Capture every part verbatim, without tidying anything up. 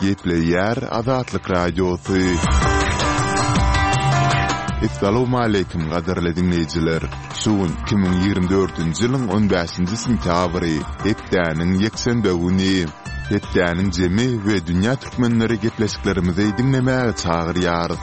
Gepleýär Azatlyk Radiosy. Essalawmaleýkim gadyrly diňleýjiler! Şu gün iki müň ýigrimi dördünji ýylyň on bäşinji sentýabry, hepdäniň ýekşenbe güni. Hepdäniň jemi we dünýä türkmenleri gepleşiklerimizi diňlemäge çagyrýarys.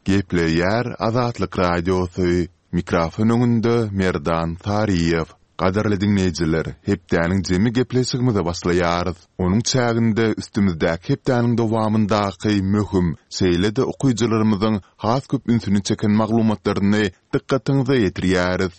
Gepleýär Azatlyk Radiosy, mikrofon öňünde Merdan Saryýew. Gadyrly diňleýjiler, hepdäniň jemi gepleşigimize başlaýarys. Onuň çäginde üstümizdäki hepdäniň dowamyndaky möhüm, şeýle-de okyjylarymyzyň has köp ünsüni çeken maglumatlaryny dykgatyňyza ýetirýäris.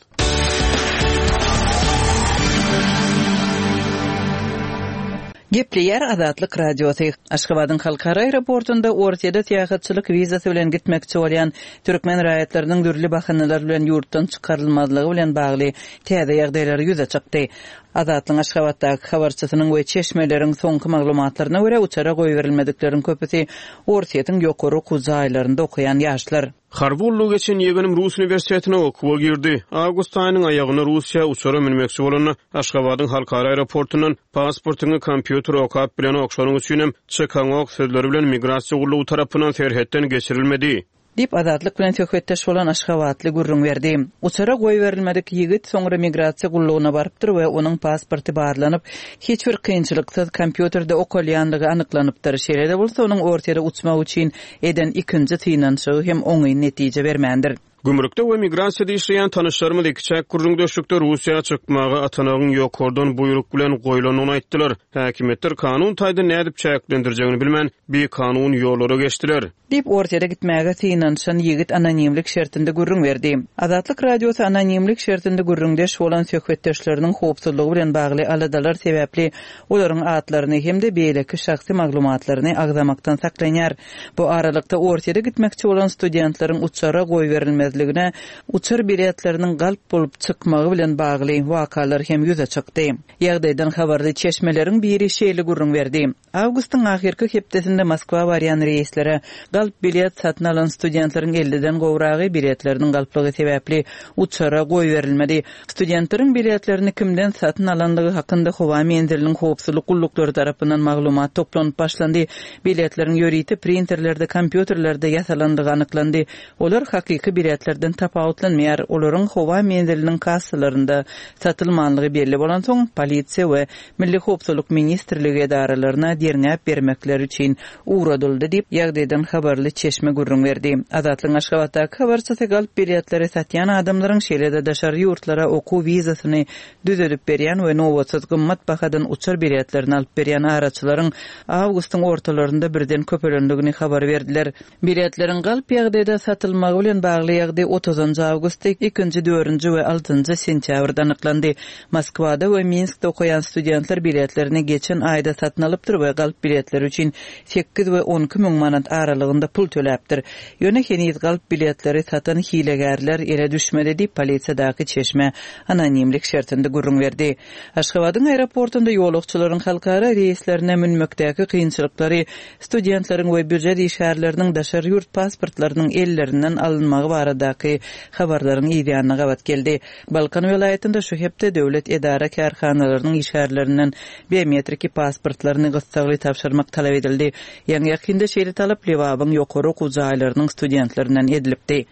Gepleýär Azatlyk Radiosy. Aşgabadyň halkara aeroportunda Orsýede syýahatçylyk wizasy bilen gitmekçi bolýan türkmen raýatlarynyň dürli bahanalar bilen ýurtdan çykarylmazlygy bilen bagly täze ýagdaýlar ýüze çykdy. Azatlygyň Aşgabatdaky habarçysynyň we çeşmeleriň soňky maglumatlaryna görä, uçara goýberilmedikleriň köpüsi Orsýetiň ýokary okuw jaýlarynda okaýan ýaşlar. Harby gullugy geçen ýegenim rus uniwersitetine okuwa girdi. Awgust aýynyň aýagynda Russiýa uçara münmekçi bolanda, Aşgabadyň halkara aeroportundan pasportyňy kompýuter okap bilenok, şonuň üçinem çykaňok sözleri bilen migrasiýa gullugy tarapyndan serhetden geçirilmedi. Diýip, Azatlyk bilen söhbetdeş bolan aşgabatly gürrüň berdi. Uçara goýberilmedik ýigit soňra migrasiýa gullugyna barypdyr we onuň pasporty barlanyp, hiç bir kynçylyksyz kompýuterde okalýanlygy anyklanypdyr. Şeýle-de bolsa, onuň Orsýete uçmak üçin eden ikinji synanyşygy hem oňyn netije bermändir. Gümrükde we migrasiýada işleýän tanyşlarymyz ikiçäk gürrüňdeşlikde Russiýa çykmaga atanagyň ýokardan buýruk bilen goýlandygyny aýtdylar. Häkimiýetler kanun taýdan nädip çäklendirjegini bilmän, bikanun ýollara geçdiler. Diýip, Orsýete gitmäge synanyşan ýigit anonimlik şertinde gürrüň berdi. Azatlyk Radiosy anonimlik şertinde gürrüňdeş bolan söhbetdeşleriniň howpsuzlygy bilen bagly aladalar sebäpli olaryň atlaryny hem-de beýleki şahsy maglumatlaryny agzamakdan saklanýar. Bu aralykda, Orsýete gitmekçi bolan studentleriň uçara goýberilmezligine uçar biletleriniň galp bolup çykmagy bilen bagly wakalar hem ýüze çykdy. Ýagdaýdan habarly çeşmeleriň biri şeýle gürrüň berdi. Awgustyň ahyrky hepdesinde Moskwa barýan reýslere galp bilet satyn alan studentleriň elliden gowragy biletleriniň galplygy sebäpli uçara goýberilmedi. Studentleriň biletlerini kimden satyn alandygy hakynda howa menziliniň howpsuzlyk gulluklary tarapyndan maglumat toplanyp başlandy. Biletleriň ýörite printerlerde, kompýuterlerde ýasalandygy anyklandy. Olar hakyky biletlerden tapawutlanmaýar. Olaryň howa menziliniň kassalarynda satylmanlygy belli bolansoň, polisiýa we Milli howpsuzlyk ministrligi edaralaryna derňäp bermekleri üçin ugradyldy diýip, ýagdaýdan habarly çeşme gürrüň berdi. Azatlygyň Aşgabatdaky habarçysy galp biletleri satýan adamlaryň, şeýle-de daşary ýurtlara okuw wizasyny düzedip berýän we nobatsyz gymmat bahadan uçar biletlerini alyp berýän araçylaryň awgustyň ortalarynda birden köpelendigini habar berdiler. Biletleriň galp ýagdaýda satylmagy bilen bagly ýagdaý otuzynjy awgustda, ikinji, dördünji we altynjy sentýabrda anyklandy. Moskwada we Minskde okaýan studentler biletlerini geçen aýda satyn alypdyr we galp biletleri üçin sekiz we on iki müň manat aralygynda pul töläpdir. Ýöne heniz galp biletleri satan hilegärler ele düşmedi diýip, polisiýadaky çeşme anonimlik şertinde gürrüň berdi. Aşgabadyň aeroportunda ýolagçylaryň halkara reýslerine münmekdäki kynçylyklary studentleriň we býujet işgärleriniň daşary ýurt pasportlarynyň ellerinden alynmagy baradaky habarlaryň yzýanyna gabat geldi. Balkan welaýatynda şu hepde döwlet edara-kärhanalarynyň işgärlerinden biometriki pasportlaryny gyssagly tabşyrmak talap edildi. Ýaňy-ýakynda şeýle talap Lebabyň ýokary okuw jaýlarynyň studentlerinden edilipdi.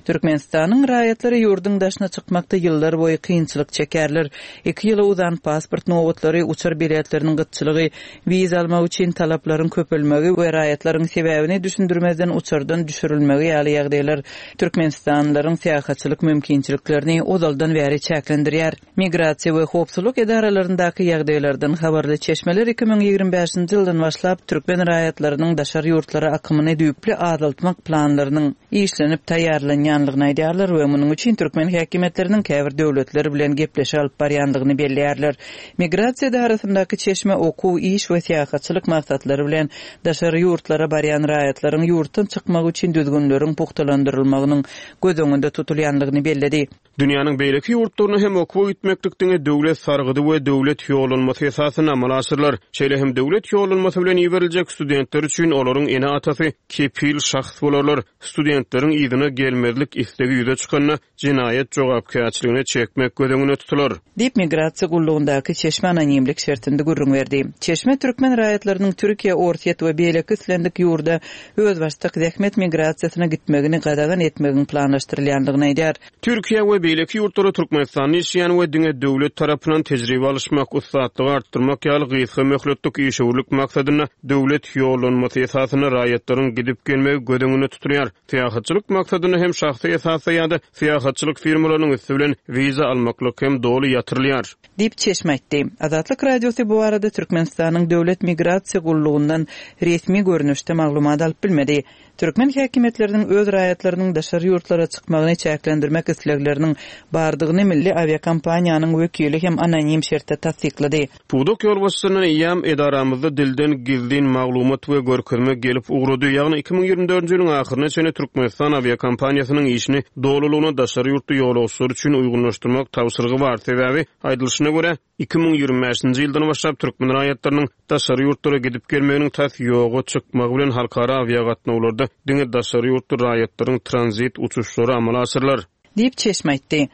Türkmenistanyň raýatlary ýurduň daşyna çykmakda ýyllar boýy kynçylyk çekýärler. Iki ýyla uzan pasport nobatlary, uçar biletleriniň gytçylygy, wiza almak üçin talaplaryň köpelmegi we raýatlaryň sebäbini düşündirmezden uçardan düşürilmegi ýaly ýagdaýlar türkmenistanlylaryň syýahatçylyk mümkinçiliklerini ozaldan bäri çäklendirýär. Migrasiýa we howpsuzlyk edaralaryndaky ýagdaýlardan habarly çeşmeler iki müň ýigrimi bäşinji ýyldan başlap türkmen raýatlarynyň daşary ýurtlara akymyny düýpli azaltmak planlarynyň işlenip taýýarlanýanlygyny aýdýarlar we munuň üçin türkmen häkimiýetleriniň käbir döwletler bilen gepleşik alyp barýandygyny belleýärler. Migrasiýa edarasyndaky çeşme okuw, iş we syýahatçylyk maksatlary bilen daşary ýurtlara barýan raýatlaryň ýurtdan çykmagy üçin düzgünleriň pugtalandyrylmagynyň göz öňünde tutulýandygyny belledi. Dünýäniň beýleki ýurtlaryna hem okuwa gitmeklik diňe döwlet sargydy we döwlet ýollanmasy esasynda amala aşyrylar. Şeýle hem döwlet ýollanmasy bilen iberiljek studentler üçin olaryň ene-atasy kepil şahs bolarlar. Studentleriň yzyna gelmezlik islegi ýüze çykanda jenaýat jogapkärçiligine çekmek göz öňünde tutular. Diýip, migrasiýa gullugyndaky çeşme anonimlik şertinde gürrüň berdi. Çeşme türkmen raýatlarynyň Türkiýe, Orsýet we beýleki islendik ýurda özbaşdak zähmet migrasiýasyna gitmegini gadagan etmegiň planlaşdyrylýandygyny aýdýar. Türkiýe we beýleki ýurtlara Türkmenistanda işleýän we diňe döwlet tarapyndan tejribe alyşmak, ussatlygy artdyrmak ýaly gysga möhletlik işewürlik maksadynda döwlet ýollanmasy esasynda raýatlaryň gidip gelmegi göz öňünde tutulýar. Syýahatçylyk maksadynda hem şahsy esasda ýa-da syýahatçylyk firmalarynyň üsti bilen wiza almaklyk hem doly ýatyrylýar. Diýip, çeşme aýtdy. Azatlyk Radiosy bu barada Türkmenistanyň Döwlet migrasiýa gullugyndan resmi görnüşde maglumat alyp bilmedi. Türkmen häkimiýetleriniň öz raýatlarynyň daşary ýurtlara çykmagyny çäklendirmek islegleriniň bardygyny milli awiakompaniýanyň wekili hem anonim şertde tassyklady. Pudak ýolbaşçysyndan eýýäm edaramyzda dilden gizlin maglumat we görkezme gelip ugrady, ýagny iki müň ýigrimi dördünji ýylyň ahyryna çenli Türkmenistan awiakompaniýasynyň işini dolulygyna daşary ýurtly ýolagçylar üçin uýgunlaşdyrmak tabşyrygy bar, sebäbi, aýdylyşyna görä, iki müň ýigrimi bäşinji ýyldan başlap türkmen raýatlarynyň daşary ýurtlara gidip gelmeginiň tas ýoga çykmagy bilen halkara awiagatnawlarda diňe daşary ýurtly raýatlaryň tranzit uçuşlary amala aşyrylar. Diýip, çeşme aýtdy.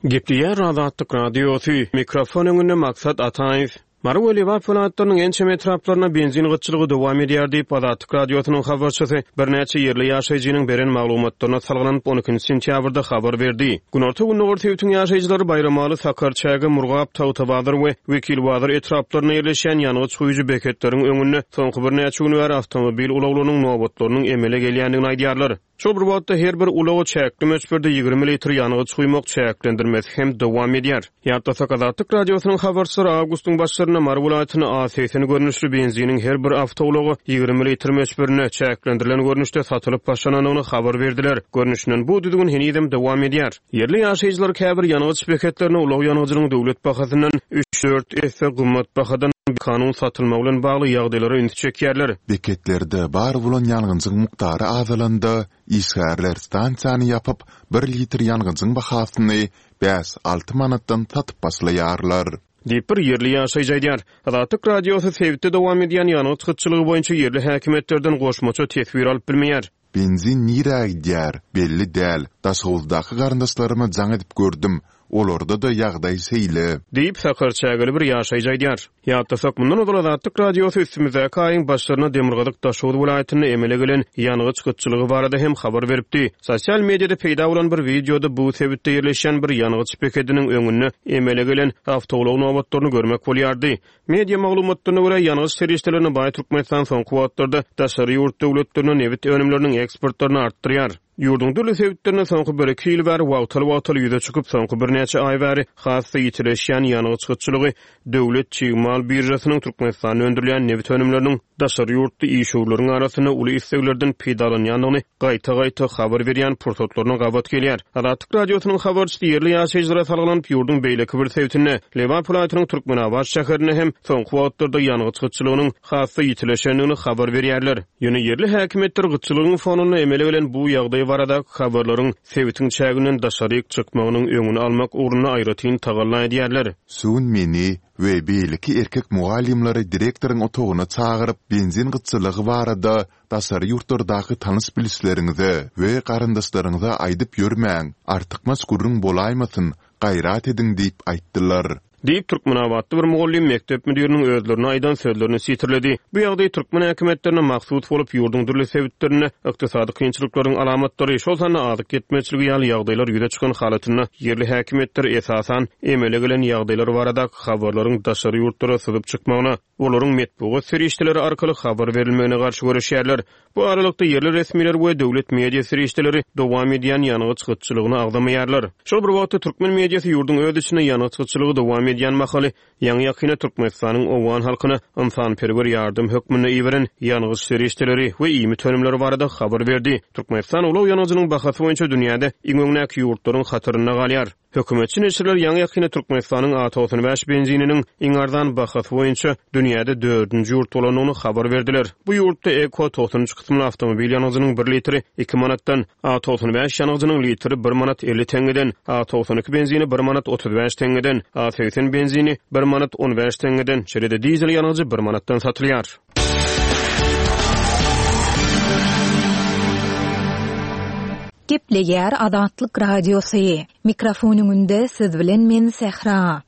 Gepleýär Azatlyk Radiosy, mikrofon öňünde Maksat Ataýew. Mary we Lebap welaýatlarynyň ençeme etraplarynda benzin gytçylygy dowam edýär diýip, Azatlyk Radiosynyň habarçysy birnäçe ýerli ýaşaýjynyň beren maglumatlaryna salgylanyp, on ikinji sentýabrda habar berdi. Günorta-gündogar sebitiň ýaşaýjylary Baýramaly, Sakarçäge, Murgap, Tagtabazar we Wekilbazar etraplarynda ýerleşýän ýangyç guýujy beketleriň öňünde soňky birnäçe gün bäri awtomobil ulaglarynyň nobatlarynyň emele gelýändigini aýdýarlar. Şol bir wagtda her bir ulaga çäkli möçberde ýigrimi litr ýangyç guýmak çäklendirmesi hem dowam edýär. Ýatlasak, Azatlyk Radiosynyň habarçylary awgustyň başlarynda Mary welaýatynda A segsen görnüşli benziniň her bir awtoulaga ýigrimi litr möçberinde çäklendirilen görnüşde satylyp başlanandygyny habar berdiler. Görnüşinden bu düzgün henizem dowam edýär. Ýerli ýaşaýjylar käbir ýangyç beketlerine ulag ýangyjynyň döwlet bahasyndan üç-dört esse gymmat bahadan kanun satylmagy bilen bagly ýagdaýlara üns çekýärler. Beketlerde bar bolan ýangyjyň mukdary azalanda, işgärler stansiýany ýapyp, bir litr ýangyjyň bahasyny bäş-alty manatdan satyp başlaýarlar. Diýip bir ýerli ýaşaýjy aýdýar. Azatlyk Radiosy sebitde dowam edýän ýangyç gytçylygy boýunça ýerli häkimiýetlerden goşmaça teswir alyp bilmeýär. Benzin nirä gidýär? Belli däl. Daşoguzdaky garyndaşlaryma jaň edip gördüm. Olarda-da ýagdaý şeýle. Diýip, Sakarçägeli bir ýaşaýjy aýdýar. Ýatlasak, mundan ozal Azatlyk Radiosy üstümizdäki aýyň başlarynda Demirgazyk Daşoguz welaýatynda emele gelen ýangyç gytçylygy barada hem habar beripdi. Sosial mediada peýda bolan bir wideoda bu sebitde ýerleşýän bir ýangyç bekediniň öňünde emele gelen awtoulag nobatlaryny görmek bolýardy. Media maglumatlaryna görä, ýangyç serişdelerine baý Türkmenistan soňky wagtlarda daşary ýurt döwletlerine nebit önümleriniň eksportlaryny artdyrýar. Ýurduň dürli sebitlerinde soňky bir-iki ýyl bäri wagtal-wagtal ýüze çykyp, soňky birnäçe aý bäri has-da ýitileşýän ýangyç gytçylygy döwlet çig mal biržasynyň Türkmenistanda öndürilýän nebit önümleriniň daşary ýurtly işewürleriň arasynda uly isleglerden peýdalanýandygyny gaýta-gaýta habar berýän pursatlaryna gabat gelýär. Azatlyk Radiosynyň habarçysy ýerli ýaşaýjylara salgylanyp, ýurduň beýleki bir sebitinde, Lebap welaýatynyň Türkmenabat şäherinde hem soňky wagtlarda ýangyç gytçylygynyň has-da ýitileşendigini habar berýärler. Ýöne ýerli häkimiýetler gytçylygyň fonunda emele gelen bu ýagdaý baradaky habarlaryň sebitiň çäginden daşaryk çykmagynyň öňüni almak ugrunda aýratyn tagalla edýärler. Şu gün meni we beýleki erkek mugallymlary direktoryň otagyna çagyryp, benzin gytçylygy barada daşary ýurtlardaky tanyş-bilişleriňize we garyndaşlaryňyza aýdyp ýörmäň, artykmaç gürrüň bolaýmasyn, gaýrat ediň diýip aýtdylar. Diýip, Türkmenabatly bir mugallym mekdep müdiriniň özlerine aýdan sözlerini sitirledi. Bu ýagdaý türkmen häkimiýetlerine mahsus bolup, ýurduň dürli sebitlerinde ykdysady kynçylyklaryň alamatlary, şol sanda azyk ýetmezçiligi ýaly ýagdaýlar ýüze çykan halatynda ýerli häkimiýetler esasan emele gelen ýagdaýlar baradaky habarlaryň daşary ýurtlara syzyp çykmagyna, olaryň metbugat serişdeleri arkaly habar berilmegine garşy göreşýärler. Bu aralykda ýerli resmiler we döwlet media serişdeleri dowam edýän ýangyç gytçylygyny agzamaýarlar. Şol bir wagtda türkmen mediasy ýurduň öz içinde ýangyç gytçylygy dowam edýän mahaly, ýaňy-ýakynda Türkmenistanyň owgan halkyna ynsanperwer ýardam hökmünde iberen ýangyç serişdeleri we iýmit önümleri barada habar berdi. Türkmenistan ulag ýangyjynyň bahasy boýunça dünýäde iň öňdäki ýurtlaryň hatarynda galýar. Hökümetçi neşirler ýaňy-ýakynda Türkmenistanyň A togsan bäş benzininiň iň arzan bahasy boýunça dünýäde dördünji ýurt bolandygyny habar berdiler. Bu ýurtda Eko togsan üç kysymly awtomobil ýangyjynyň bir litri iki manatdan, A togsan bäş ýangyjynyň litri bir manat elli teňňeden, A togsan iki benzini bir manat otuz bäş teňňeden, A segsen benzini bir manat on bäş teňňeden, şeýle-de dizel ýangyjy bir manatdan satylýar. Gepleýär Azatlyk Radiosy. Mikrofon öňünde siz bilen men Sähra.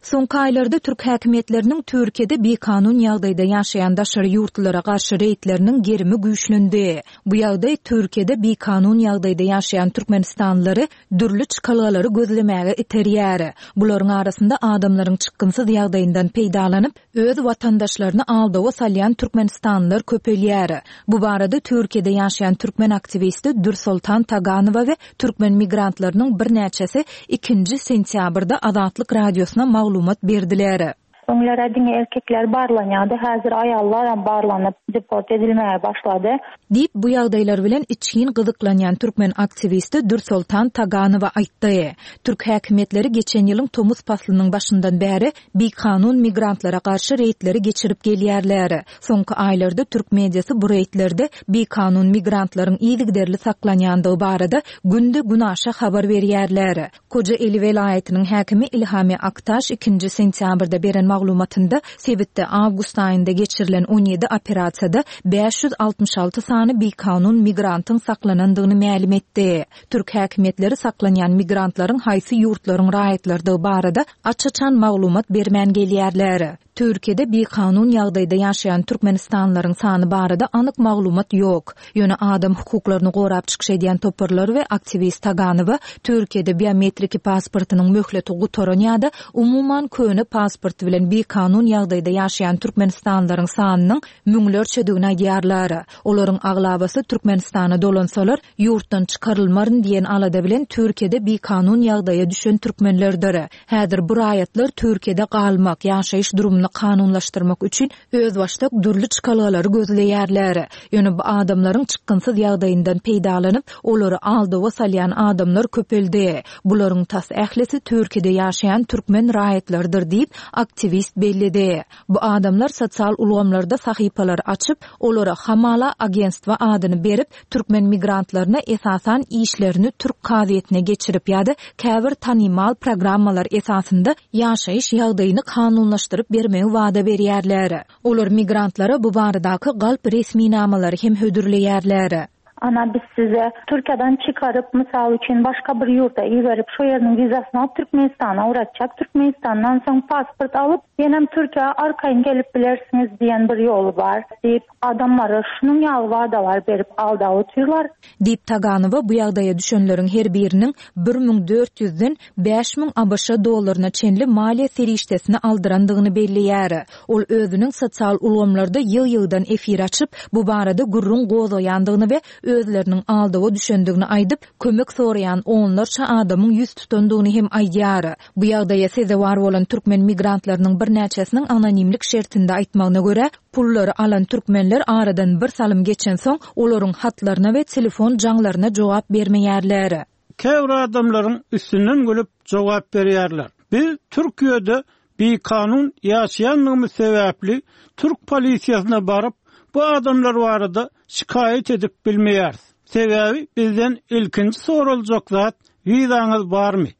Soňky aýlarda türk häkimiýetleriniň Türkiýede bikanun ýagdaýda ýaşaýan daşary ýurtlylara garşy reýdleriniň gerimi güýçlendi. Bu ýagdaý Türkiýede bikanun ýagdaýda ýaşaýan türkmenistanlylary dürli çykalgalary gözlemäge iterýär. Bularyň arasynda adamlaryň çykgynsyz ýagdaýyndan peýdalanyp, öz watandaşlaryny aldawa salýan türkmenistanlylar köpelýär. Bu barada Türkiýede ýaşaýan türkmen aktiwisti Dürsoltan Taganowa we türkmen migrantlarynyň birnäçesi ikinji sentýabrda Azatlyk Radiosyna maglumat berdiler. Öňlere diňe erkekler barlanýardy, häzir aýallar hem barlanyp deport edilmäge başlady. Diýip, bu ýagdaýlar bilen içgin gyzyklanýan türkmen aktiwisti Dürsoltan Taganowa aýtdy. Türk häkimiýetleri geçen ýylyň tomus paslynyň başyndan bäri bikanun migrantlara garşy reýdleri geçirip gelýärler. Soňky aýlarda türk mediasy bu reýdlerde bikanun migrantlaryň yzygiderli saklanýandygy barada günde günaşa habar berýärler. Kocaeli welaýatynyň häkimi Ilhami Aktaş ikinji sentýabrda beren maglumatynda sebitde awgust aýynda geçirilen on ýedi operasiýada bäş ýüz altmyş alty sany bikanun migrantyň saklanandygyny mälim etdi. Türk häkimiýetleri saklanýan migrantlaryň haýsy ýurtlaryň raýatlarydygy barada aç-açan maglumat bermän gelýärler. Türkiýede bikanun ýagdaýda ýaşaýan türkmenistanlylaryň sany barada anyk maglumat ýok. Ýöne adam hukuklaryny gorap çykyş edýän toparlar we aktiwist Taganowa Türkiýede biometriki pasportynyň möhleti gutaran ýa-da umuman köne pasport bilen bikanun ýagdaýda ýaşaýan türkmenistanlylaryň sanynyň müňlerçedigini aýdýarlar. Olaryň aglabasy Türkmenistana dolansalar, ýurtdan çykarylmaryn diýen alada bilen Türkiýede bikanun ýagdaýa düşen türkmenlerdir. Häzir bu raýatlar Türkiýede galmak, ýaşaýyş durumyny kanunlaşdyrmak üçin özbaşdak dürli çykalgalary gözleýärler. Ýöne bu adamlaryň çykgynsyz ýagdaýyndan peýdalanyp, olary aldawa salýan adamlar köpeldi. Bularyň tas ählisi Türkiýede ýaşaýan türkmen raýatlarydyr diýip, aktiwist belledi. Bu adamlar sosial ulgamlarda sahypalar açyp, olara Hamala agentstwa adyny berip, türkmen migrantlaryna esasan işlerini türk kazyýetine geçirip ýa-da käbir tanymal programmalar esasynda ýaşaýyş ýagdaýyny kanunlaşdyryp bermegi wada berýärler. Olar migrantlara bu baradaky galp resminamalary hem hödürleýärler. Ana biz size Türkiýeden çykaryp, mysal üçin başga bir ýurda iberip, şu ýeriniň wizasyny alyp Türkmenistana uğratjak. Türkmenistandan soň pasport alyp, ýenem Türkiýä arkaýyn gelip bilersiňiz diýen bir ýoly bar diýip, adamlara şunuň ýaly wadalar berip aldaw otyrlar. Diýip Taganowa bu ýagdaýa düşenleriň her biriniň bir müň dört ýüzden bäş müň ABŞ dollaryna çenli maliýe serişdesini aldyrandygyny belleýär. Ol özüniň sosial ulgamlarda ýyg-ýygdan efir açyp, bu barada gürrüň gozgaýandygyny we özleriniň aldawa düşendigini aýdyp, kömek soraýan onlarça adamyň ýüz tutandygyny hem aýdýar. Bu ýagdaýa sezewar bolan türkmen migrantlarynyň birnäçesiniň anonimlik şertinde aýtmagyna görä, pullary alan türkmenler aradan bir salym geçensoň, olaryň hatlaryna we telefon jaňlaryna jogap bermeýärler. Käbir adamlaryň üstünden gülüp jogap berýärler. Biz Türkiýede bikanun ýaşaýanlygymyz sebäpli türk polisiýasyna baryp, bu adamlar barada şikaýat edip bilmeýäris. Sebäbi bizden ilkinji soraljak zat wizaňyz barmy?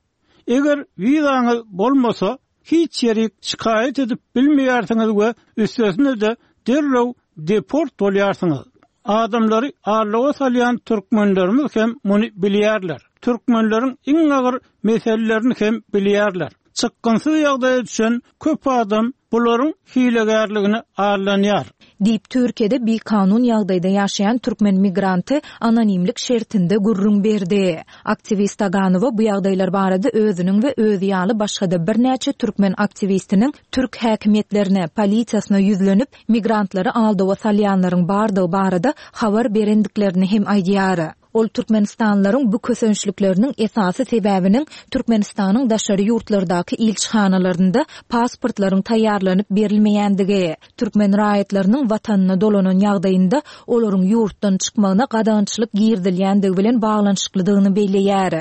Eger wizaňyz bolmasa, hiç ýeri şikaýat edip bilmeýärsiňiz we üstesine de derrew deport bolýarsyňyz. Adamlary aldawa salýan türkmenlerimiz hem muny bilýärler. Türkmenleriň iň agyr meselelerini hem bilýärler. Çykgynsyz ýagdaýa düşen köp adam bularyň hilegärligine aldanýar. Diýip, Türkiýede bikanun ýagdaýda ýaşaýan türkmen migranty anonimlik şertinde gürrüň berdi. Aktiwist Taganowa bu ýagdaýlar barada özüniň we özi ýaly başga-da birnäçe türkmen aktiwistiniň türk häkimiýetlerine, polisiýasyna ýüzlenip, migrantlary aldawa salýanlaryň bardygy barada habar berendiklerini hem aýdýar. Ol türkmenistanlylaryň bu kösençlikleriniň esasy sebäbiniň Türkmenistanyň daşary ýurtlardaky ilçihanalarynda pasportlaryň taýýarlanyp berilmeýändigi, türkmen raýatlarynyň watanyna dolanan ýagdaýynda olaryň ýurtdan çykmagyna gadagançylyk girizilýändigi bilen baglanyşyklydygyny belleýär.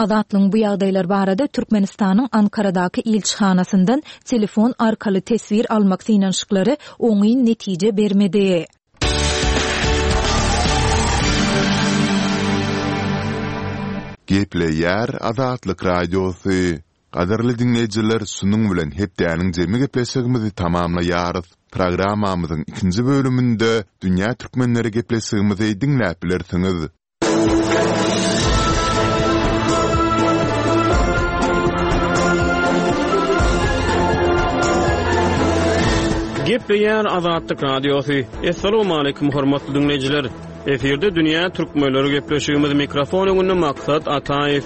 Azatlygyň bu ýagdaýlar barada Türkmenistanyň Ankaradaky ilçihanasyndan telefon arkaly teswir almak synanyşyklary oňyn netije bermedi. Gepleýär Azatlyk Radiosy. Gadyrly diňleýjiler, şunuň bilen hepdäniň jemi gepleşigimizi tamamlaýarys. Programmamyzyň ikinji bölüminde Dünýä Türkmenleri gepleşigimizi diňläp bilersiňiz. Gepleýär Azatlyk Radiosy. Assalamualaikum hormatly dinleýjiler. Efirde Dünýä Türkmenleri gepleşigimiz mikrofon öňünde Maksat Ataýew.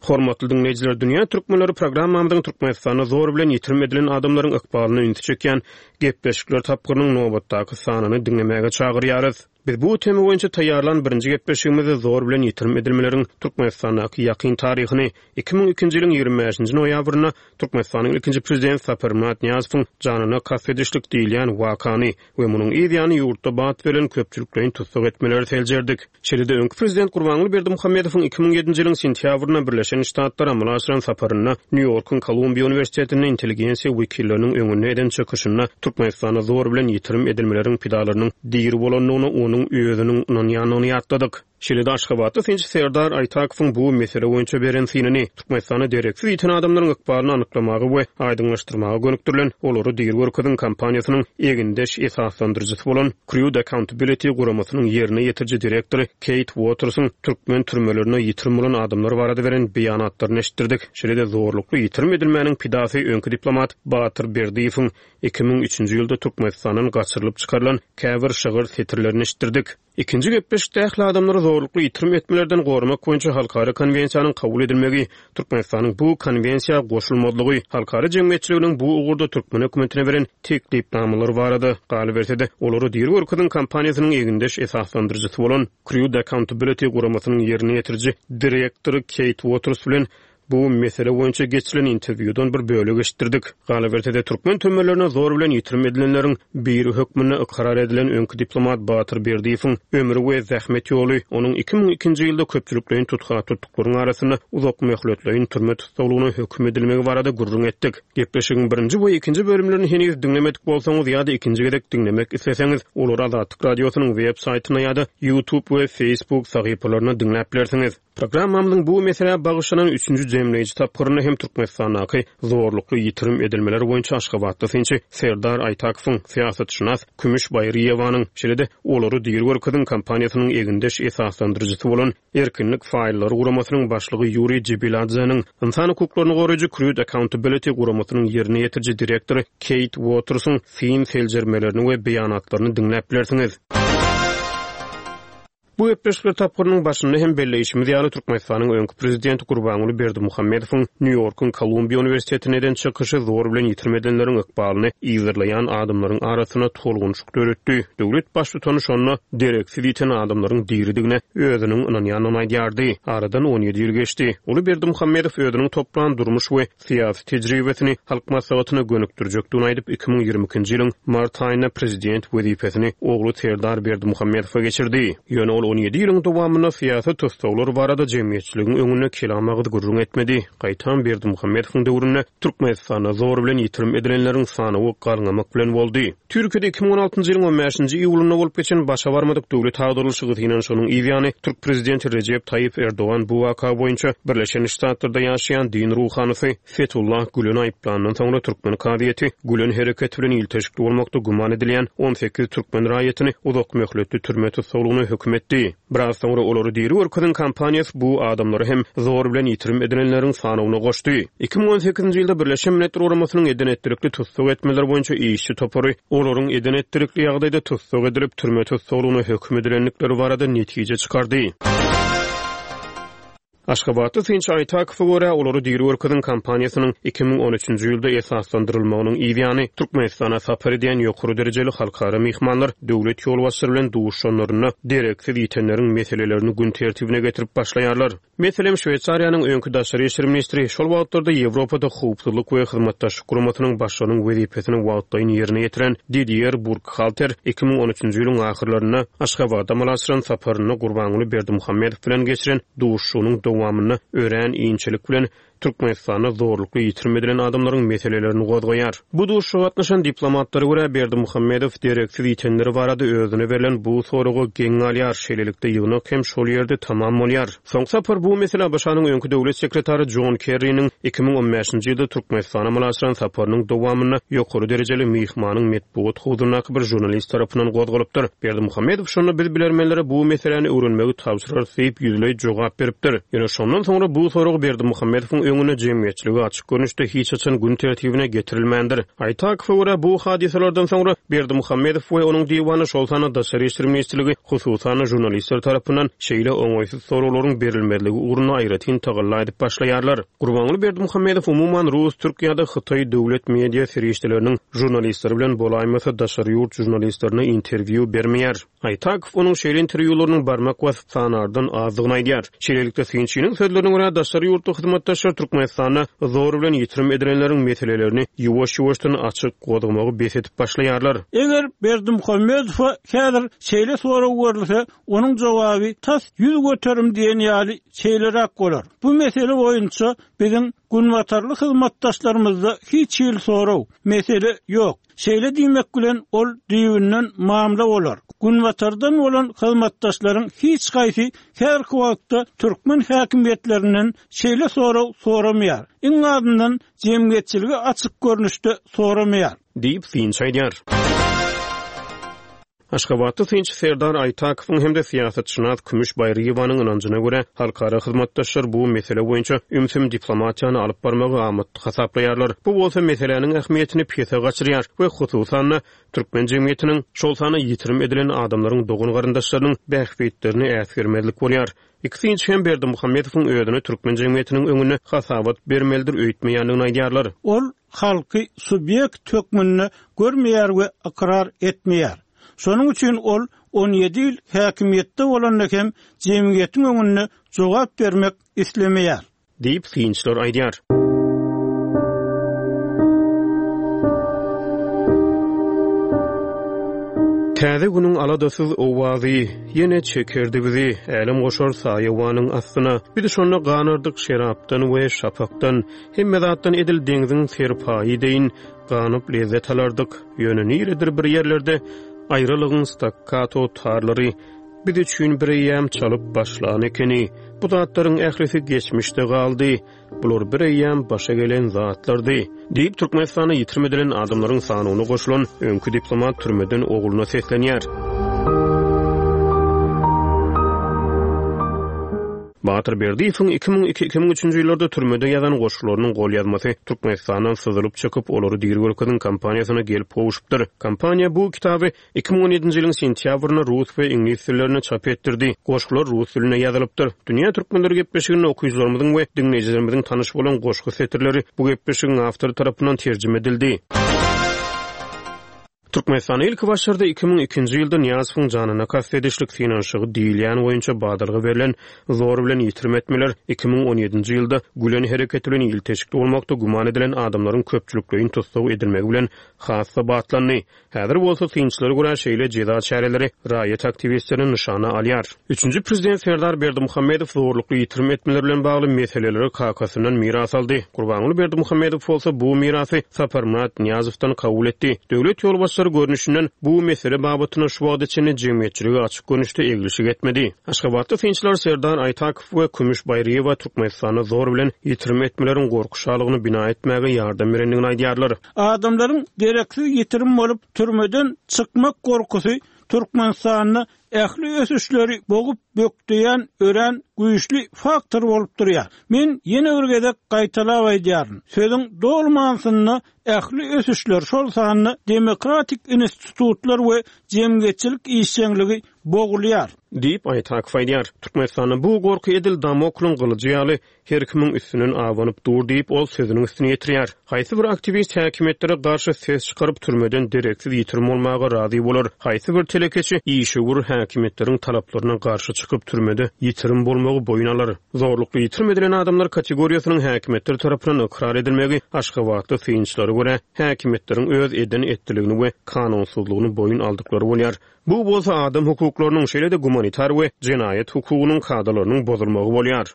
Hormatly diňleýjiler, Dünýä Türkmenleri programmamyzyň Türkmenistanda zor bilen ýitirim edilen adamlaryň ykbalyna ünsi çekýän gepleşikler tapgyrynyň nobatdaky sanyny diňlemäge çagyrýarys. Biz bu tema boýunça taýýarlan birinji gepleşigimizde zor bilen ýitirim edilmeleriň Türkmenistandaky ýakyn taryhyny iki müň ikinji ýylyň ýigrimi bäşinji noýabrynda Türkmenistanyň ilkinji prezidenti Saparmyrat Nyýazowyň janyna kast edişlik diýilýän wakany we munuň yz ýany ýurtda bat berlen köpçülikleýin tussag etmeleri seljerdik. Şeýle-de öňki prezident Gurbanguly Berdimuhamedowyň iki müň ýedinji ýylyň sentýabrynda Birleşen Ştatlara amala aşyran saparynda Nýu-Ýorkuň Kolumbiýa uniwersitetinde intelligensiýa wekilleriniň öňünde eden çykyşynda Türkmenistanda zor bilen ýitirim edilmeleriň pidalarynyň diri bolandygyna onuň özüniň ynanýandygyny ýatladyk. Şeýle-de Aşgabatda synçy Serdar Aýtakowyň bu mesele boýunça beren synyny, Türkmenistanda dereksiz ýiten adamlaryň ykbalyny anyklamaga we aýdyňlaşdyrmaga gönükdirilen Olary diri görkeziň kampaniýasynyň egindeş esaslandyryjysy bolan Crude Accountability guramasynyň ýerine ýetiriji direktory Keýt Uotersiň türkmen türmelerinde ýitirim bolan adamlar barada beren beýanatlaryny eşitdirdik. Şeýle-de zorlukly ýitirim edilmäniň pidasy öňki diplomat Batyr Berdiýewiň iki müň üçünji ýylda Türkmenistandan gaçyrylyp çykarylan käbir şygyr setirlerini eşitdirdik. Ikinji gepleşikde ähli adamlary zorlukly ýitirim etmelerden goramak boýunça halkara konwensiýanyň kabul edilmegi, Türkmenistanyň bu konwensiýa goşulmazlygy, halkara jemgyýetçiliginiň bu ugurda türkmen hökümetine beren teklipnamalary barada, galyberse-de, olary diri görkeziň kampaniýasynyň egindeş esaslandyryjysy bolan Crude Accountability guramasynyň ýerine ýetiriji direktory Keýt Uoters bilen bu mesele boýunça geçirilen interwýudan bir bölek eşitdirdik. Galyberse-de, türkmen türmelerine zor bilen ýitirim edilenleriň biri hökmünde ykrar edilen öňki diplomat Batyr Berdiýewiň ömri we zähmet ýoly, onuň iki müň ikinji ýylda köpçülikleýin tutga tutduklaryň arasynda uzak möhletleýin türme tussaglygyna höküm edilmegi barada gürrüň etdik. Gepleşigiň birinji we ikinji bölümlerini heniz diňlemedik bolsaňyz ýa-da ikinji gezek diňlemek isleseňiz, olary Azatlyk Radiosynyň web saýtynda ýa-da YouTube we Facebook sahypalarynda diňläp bilersiňiz. Programmamyzyň bu meselä bagyşlanan üçünji jemleýji tapgyrynda hem Türkmenistandaky zorlukly ýitirim edilmeler boýunça Aşgabatda synçy Serdar Aýtakowyň, syýasatşynas Kümüş Baýryýewanyň, şeýle-de Olary diri görkeziň kampaniýasynyň egindeş esaslandyryjysy bolan Erkinlik faýllary guramasynyň başlygy Ýuriý Jibiladzeniň, ynsan hukuklaryny goraýjy Crude Accountability guramasynyň ýerine ýetiriji direktory Keýt Uotersiň syn seljermelerini we beýanatlaryny diňläp bilersiňiz. Bu gepleşikler tapgyrynyň başynda hem belleýşimiz ýaly Türkmenistanyň öňki prezidenti Gurbanguly Berdimuhamedowyň Nýu-Ýorkuň Kolumbiýa uniwersitetinde eden çykyşy zor bilen ýitirim edenleriň ykbalyny yzarlaýan adamlaryň arasynda tolgunşyk döretdi. Döwlet baştutany şonda dereksiz ýiten adamlaryň diridigine özüniň ynanýandygyny aýdýardy. Aradan on ýedi ýyl geçdi. Uly Berdimuhamedow özüniň toplan durmuş we syýasy tejribesini Halk Maslahatyna gönükdirjekdigini aýdyp, iki müň ýigrimi ikinji ýylyň mart aýynda prezident wezipesini ogly Serdar Berdimuhamedowa geçirdi. Ýöne ol on ýedi ýylyň dowamynda syýasy tussaglar barada jemgyýetçiligiň öňünde kelam agyz gürrüň etmedi. Gaýtam Berdimuhamedowyň döwründe Türkmenistanda zor bilen ýitirim edilenleriň sanawy galňamak bilen boldy. Türkiýede iki müň on altynjy ýylyň on bäşinji iýulynda bolup geçen başa barmadyk döwlet agdarylyşygy synanyşygynyň yz ýany türk prezidenti Rejep Taýyp Erdogan bu waka boýunça Birleşen Ştatlarda ýaşaýan din ruhanysy Fethullah Gülen aýyplandan soňra türkmen kazyýeti Gülen hereketi bilen ilteşikli bolmakda güman edilýän on sekiz türkmen raýatyny uzak möhletli türme tussaglygyna höküm etdi. Biraz soňra olary diri görkeziň kampaniýasy bu adamlary hem zor bilen ýitirim edilenleriň sanawyna goşdy. Iki müň on sekizinji ýylda Birleşen Milletler Guramasynyň eden etdirikli tussag etmeler boýunça işçi topary olaryň eden etdirikli ýagdaýda tussag edilip türme tussaglygyna höküm edilendikleri barada netije çykardy. Aşgabatly synçy Aýtakowa görä, olary diri görkeziň kampaniýasynyň iki müň on üçünji ýylda esaslandyrylmagynyň yz ýany, Türkmenistana sapar edýän ýokary derejeli halkara myhmanlar döwlet ýolbaşçylary bilen duşuşanlarynda dereksiz ýitenleriň meselelerini gün tertibine getirip başlaýarlar. Meselem, Şweýsariýanyň öňki daşary işler ministri, şol wagtlarda Ýewropada Howpsuzlyk we Hyzmatdaşlyk Guramasynyň başlygynyň wezipesini wagtlaýyn ýerine ýetiren Didier Burkhalter iki müň on üçünji ýylyň ahyrlarynda Aşgabada amala aşyran saparynda Gurbanguly Berdimuhamedow bilen geçiren duşuşygynyň dowamynda örän inçelik bilen Türkmenistanda zorlukly ýitirim edilen adamlaryň meselelerini gozgaýar. Bu duşuşyga gatnaşan diplomatlara görä, Berdimuhamedow dereksiz ýitenleri barada özüne berlen bu soraga geň galýar. Şeýlelikde ýygnak hem şol ýerde tamam bolýar. Soňky sapar bu mesele A B Ş-nyň öňki döwlet sekretary Jon Kerriniň iki müň on bäşinji ýylda Türkmenistana amala aşyran saparynyň dowamynda ýokary derejeli myhmanyň metbugat huzuryndaky bir žurnalist tarapyndan gozgalypdyr. Berdimuhamedow şonda biz bilermenlere bu meseläni öwrenmegi tabşyrarys diýip ýüzleý jogap beripdir. Ýöne şondan soňra bu soragy Berdimuhamedowyň öňünde jemgyýetçiligi açyk görnüşde hiç haçan gün tertibine getirilmändir. Aýtakowa görä, bu hadysalardan soňra Berdimuhamedow we onuň diwany, şol sanda Daşary işler ministrligi, hususan žurnalistler tarapyndan şeýle oňaýsyz soraglaryň berilmezligi ugrunda aýratyn tagalla edip başlaýarlar. Gurbanguly Berdimuhamedow umuman rus, türk ýa-da hytaý döwlet media serişdeleriniň žurnalistleri bilen bolaýmasa daşary ýurt žurnalistlerine interwýu bermeýär. Aýtakow onuň şeýle interwýularynyň barmak basyp sanardan azdygyny aýdýar. Şeýlelikde synçynyň sözlerine görä, daşary ýurtly hyzmatdaşlar Türkmenistanda zor bilen ýitirim edilenleriň meselelerini ýuwaş-ýuwaşdan açyk gozgamagy bes edip başlaýarlar. Eger Berdimuhamedowa häzir şeýle sorag berilse, onuň jogaby tas ýüz göterim diýen ýaly şeýleräk bolar. Bu mesele boýunça biziň günbatarly hyzmatdaşlarymyzda hiç hili sorag, mesele ýok. Şeýle diýmek bilen ol düýbünden mamla bolar. Günbatardan bolan hyzmatdaşlaryň hiç haýsy her wagtda türkmen häkimiýetlerinden şeýle sorag soramaýar. Iň azyndan jemgyýetçiligi açyk görnüşde soramaýar diýip synçy aýdýar. Aşgabatda synçy Serdar Aýtakowyň hem-de syýasatşynas Kümüş Baýryýewanyň ynanjyna görä, halkara hyzmatdaşlar bu mesele boýunça ümsüm diplomatiýany alyp barmagy amatly hasaplaýarlar. Bu bolsa meseläniň ähmiýetini pese gaçyrýar we hususan-da türkmen jemgyýetiniň, şol sanda ýitirim edilen adamlaryň dogan garyndaşlarynyň bähbitlerini äsgermezlik bolýar. Iki synçy hem Berdimuhamedowyň özüne türkmen jemgyýetiniň öňünde hasabat bermelidir öýtmeýändigini aýdýarlar. Ol halky subýekt hökmünde görmeýär we ykrar etmeýär. Şonuň üçin ol on ýedi ýyl häkimiýetde bolanda hem jemgyýetiň öňünde jogap bermek islemeýär diýip synçylar aýdýar. Täze günüň aladasyz owazy ýene çekerdi bizi, älem goşar saýawanyň astyna. Biz şonda ganardyk şerapdan we şapakdan, hemme zatdan edil deňziň serpaýy deýin ganyp lezzet alardyk. Ýöne niredir bir ýerlerde aýralygyň stakkato tarlary biz üçin bir eýýäm çalyp başlan ekeni. Bu zatlaryň ählisi geçmişde galdy. Bular bir eýýäm başa gelen zatlardy diýip Türkmenistana ýitirim edilen adamlaryň sanyna goşulan öňki diplomat türmeden ogluna seslenýär. Batyr Berdiýewiň iki müň iki, iki müň üçünji ýyllarda türmede ýazan goşgularynyň gol ýazmasy Türkmenistandan syzylyp çykyp, olary diri görkeziň kampaniýasyna gelip gowuşypdyr. Kampaniýa bu kitaby iki müň on ýedinji ýylyň sentýabrynda rus we iňlis dillerinde çap etdirdi. Goşgular rus dilinde ýazylypdyr. Dünýä türkmenleri gepleşiginde okyjylarymyzyň we diňleýjilerimiziň tanyş bolan goşgy setirleri bu gepleşigiň awtory tarapyndan terjime edildi. Türkmenistanda ilki başlarda iki müň ikinji ýylda Nyýazowyň janyna kast edişlik synanyşygy diýilýän boýunça badalga berlen zor bilen ýitirim etmeler iki müň on ýedinji ýylda Gülen hereketi bilen ilteşikli bolmakda güman edilen adamlaryň köpçülikleýin tussag edilmegi bilen has-da batlandy. Häzir bolsa synçylara görä şeýle jeza çäreleri raýat aktiwistlerini nyşana alýar. Üçünji prezident Serdar Berdimuhamedow zorlukly ýitirim etmeler bilen bagly meseleleri kakasyndan miras aldy. Gurbanguly Berdimuhamedow bolsa bu mirasy Saparmyrat Nyýazowdan kabul etdi. Döwlet ýolbaşçylary görnüşinden bu mesele babatynda şu wagta çenli jemgyýetçiligi açyk görnüşde eglişik etmedi. Aşgabatda synçylar Serdar Aýtakow we Kümüş Baýryýewa Türkmenistanda zor bilen ýitirim etmeleriň gorky şalygyny bina etmäge ýardam berendigini aýdýarlar. Adamlaryň gereksiz ýitirim bolup türmeden çykmak gorkusy Türkmenistanda ähli ösüşleri bogup bökdeýän örän güýçli faktor bolup durýar. Men ýene bir gezek gaýtalap aýdýaryn. Sözüň doly manysynda ähli ösüşler, şol sanda demokratik institutlar we jemgyýetçilik işjeňligi bogulýar. Diýip, Aýtakow aýdýar. Türkmenistanda bu gorky edil Damoklyň gylyjy ýaly her kimiň üstünden abanyp dur diýip, ol sözüniň üstüni ýetirýär. Haýsy bir aktiwist häkimiýetlere garşy ses çykaryp, türmeden dereksiz ýitirim bolmaga razy bolar? Haýsy bir telekeçi, işewür häkimiýetleriň talaplaryna garşy çykyp, türmede ýitirim bolmagy boýun alar? Zorlukly ýitirim edilen adamlar kategoriýasynyň häkimiýetler tarapyndan ykrar edilmegi aşgabatly synçylara görä, häkimiýetleriň öz eden-etdiligini we kanunsyzlygyny boýun aldyklary bolýar. Bu bolsa adam hukuklarynyň, şeýle-de gumanitar we jenaýat hukugynyň kadalarynyň bozulmagy bolýar.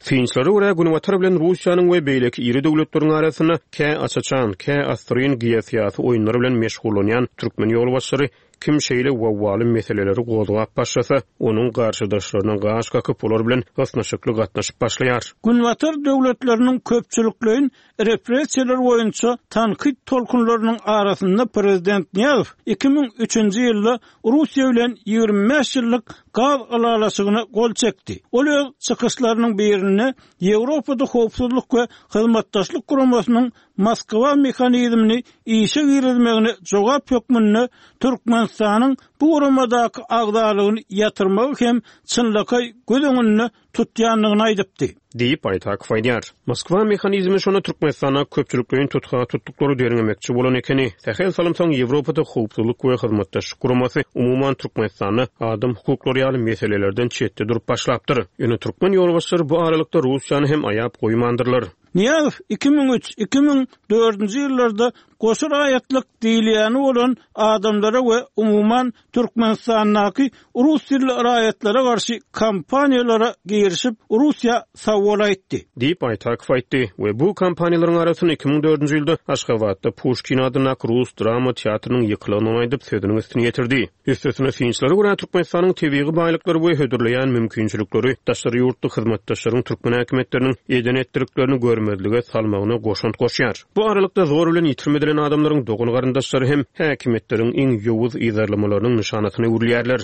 Synçylara görä, Günbatar bilen Russiýanyň we beýleki iri döwletleriň arasynda kä aç-açan, kä assyryn geosyýasy oýunlar bilen meşgullanýan türkmen ýolbaşçylary kim şeýle wawwaly meseleleri gozgap başlasa, onuň garşydaşlaryna gaş kakyp, olar bilen ysnyşykly gatnaşyp başlaýar. Günbatar döwletleriniň köpçülikleýin repressiýalar boýunça tankyt tolkunlarynyň arasynda prezident Nyýazow iki müň üçünji ýylda Russiýa bilen ýigrimi bäş ýyllyk gaz ylalaşygyna gol çekdi. Ol öz çykyşlarynyň birinde Ýewropada Howpsuzlyk we Hyzmatdaşlyk Guramasynyň Moskwa mehanizmini işe girizmegine jogap hökmünde Türkmenistanyň bu guramadaky agzalygyny ýatyrmagy hem çynlakaý göz öňünde tutýandygyny aýdypdy. Diýip, Aýtakow aýdýar. Moskwa mehanizmi şonda Türkmenistanda köpçülikleýin tutga tutduklary derňemekçi bolan ekeni. Sähel salym soň Ýewropada Howpsuzlyk we Hyzmatdaşlyk Guramasy umuman Türkmenistanda adam hukuklary ýaly meselelerden çetde durup başlapdyr. Ýöne türkmen ýolbaşçylary bu aralykda Russiýany hem aýap goýmandyrlar. Nyýazow iki müň üç, iki müň dördünji ýyllarda goşa raýatlyk diýilýäni bolan adamlara we umuman Türkmenistandaky rus dilli raýatlara garşy kampaniýalara girişip, Russiýa sawol aýtdy. Diýip, Aýtakow aýtdy we bu kampaniýalaryň arasynda iki müň dördünji ýylda Aşgabatda Puşkin adyndaky rus drama teatrynyň ýykylandygyny aýdyp, sözüniň üstüni ýetirdi. Üstesine, synçylara görä, Türkmenistanyň tebigy baýlyklary we hödürleýän mümkinçilikleri daşary ýurtly hyzmatdaşlaryň türkmen häkimiýetleriniň eden-etdiliklerini görmezlige salmagyna goşant goşýar. Bu aralykda zor bilen ýitirim edilen adamlaryň dogan-garyndaşlary hem häkimiýetleriň iň ýowuz yzarlamalarynyň nyşanasyna öwrülýärler.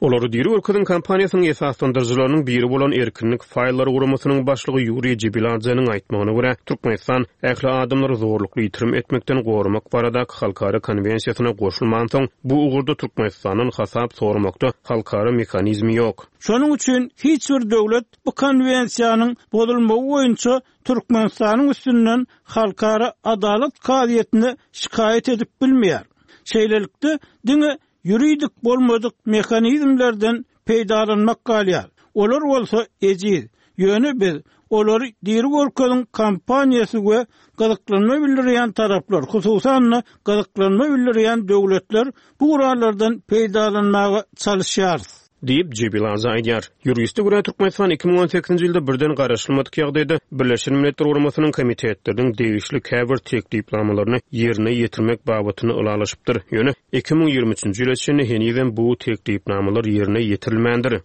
Olary diri görkeziň kampaniýasynyň esaslandyryjylarynyň biri bolan Erkinlik faýllary guramasynyň başlygy Ýuriý Jibiladzeniň aýtmagyna görä, Türkmenistan ähli adamlary zorlukly ýitirim etmekden goramak baradaky halkara konwensiýasyna goşulmansoň, bu ugurda Türkmenistandan hasap soramakda halkara mehanizmi ýok. Şonuň üçin hiç bir döwlet bu konwensiýanyň bozulmagy boýunça Türkmenistanyň üstünden halkara adalat kazyýetine şikaýat edip bilmeýär. Şeýlelikde, diňe ýuridik bolmadyk mehanizmlerden peýdalanmak galýar. Olar bolsa ejiz. Ýöne biz olary diri görkeziň kampaniýasy we gyzyklanma bildirýän taraplar, hususan-da gyzyklanma bildirýän döwletler bu gurallardan peýdalanmaga çalyşýarys. Diýip, Jibiladze aýdýar. Ýuriste görä, Türkmenistan iki müň on sekizinji ýylda birden garaşylmadyk ýagdaýda Birleşen Milletler Guramasynyň komitetleriniň degişli käbir teklipnamalaryny ýerine ýetirmek babatynda ylalaşypdyr. Ýöne iki müň ýigrimi üçünji ýyla çenli henizem bu teklipnamalar ýerine ýetirilmändir.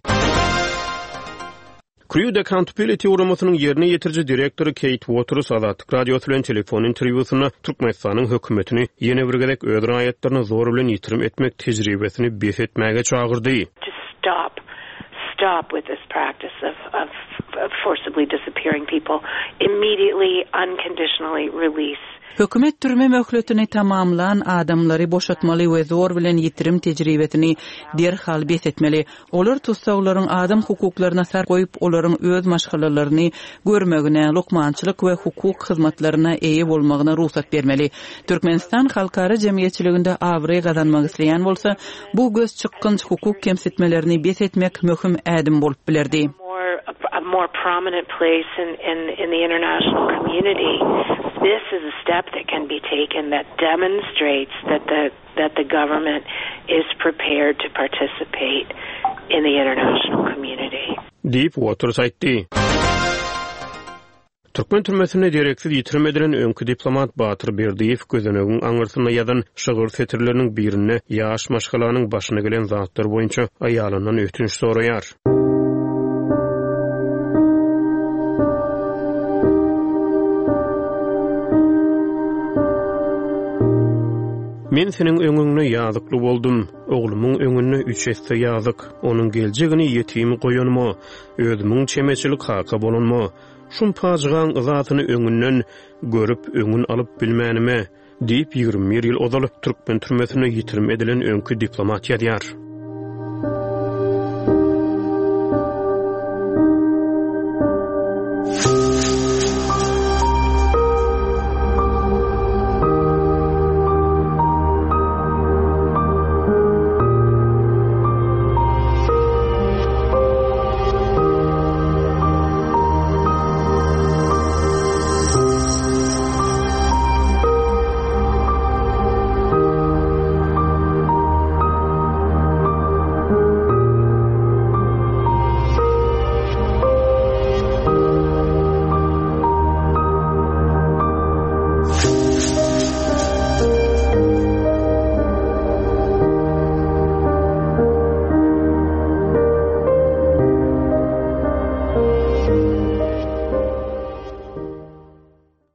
Crude Accountability guramasynyň ýerine ýetiriji direktory Kate Waters Azatlyk Radiosy bilen telefon interwýusynda Türkmenistanyň hökümetini ýene bir gezek öz raýatlaryny zor bilen ýitirim etmek tejribesini bes etmäge çagyrdy. To stop, stop with this practice of, of, of forcibly disappearing people, immediately, unconditionally release. Hökümet türme möhletini tamamlan adamlary boşatmaly we zor bilen ýitirim tejribesini derhal bes etmeli. Olar tussaglaryň adam hukuklaryna sar goýup, olaryň öz maşgalalaryny görmegine, lukmançylyk we hukuk hyzmatlaryna eýe bolmagyna rugsat bermeli. Türkmenistan halkara jemgyýetçiliginde abraý gazanmak isleýän bolsa, bu göz çykgynç hukuk kemsitmelerini bes etmek möhüm ädim bolup bilerdi. More, a more prominent place in, in, in the international community. This is a step that can be taken that demonstrates that the, that the government is prepared to participate in the international community. Diýip, Waters aýtdy. Türkmen türmesinde dereksiz ýitirim edilen öňki diplomat Batyr Berdiýew gözenegiň aňyrsynda ýazan şygyr setirleriniň birinde ýaş maşgalanyň başyna gelen zatlar boýunça aýalyndan ötünç soraýar. Men seniň öňüňde ýazykly boldum, oglumyň öňünde üç esse ýazyk, onuň geljegini ýetim goýanma, özümiň çemeçilik kaka bolanma, şum pajygaň yzasyny öňünden görüp öňün alyp bilmänime, Diýip, ýigrimi bir ýyl ozal türkmen türmesinde ýitirim edilen öňki diplomat ýazýar.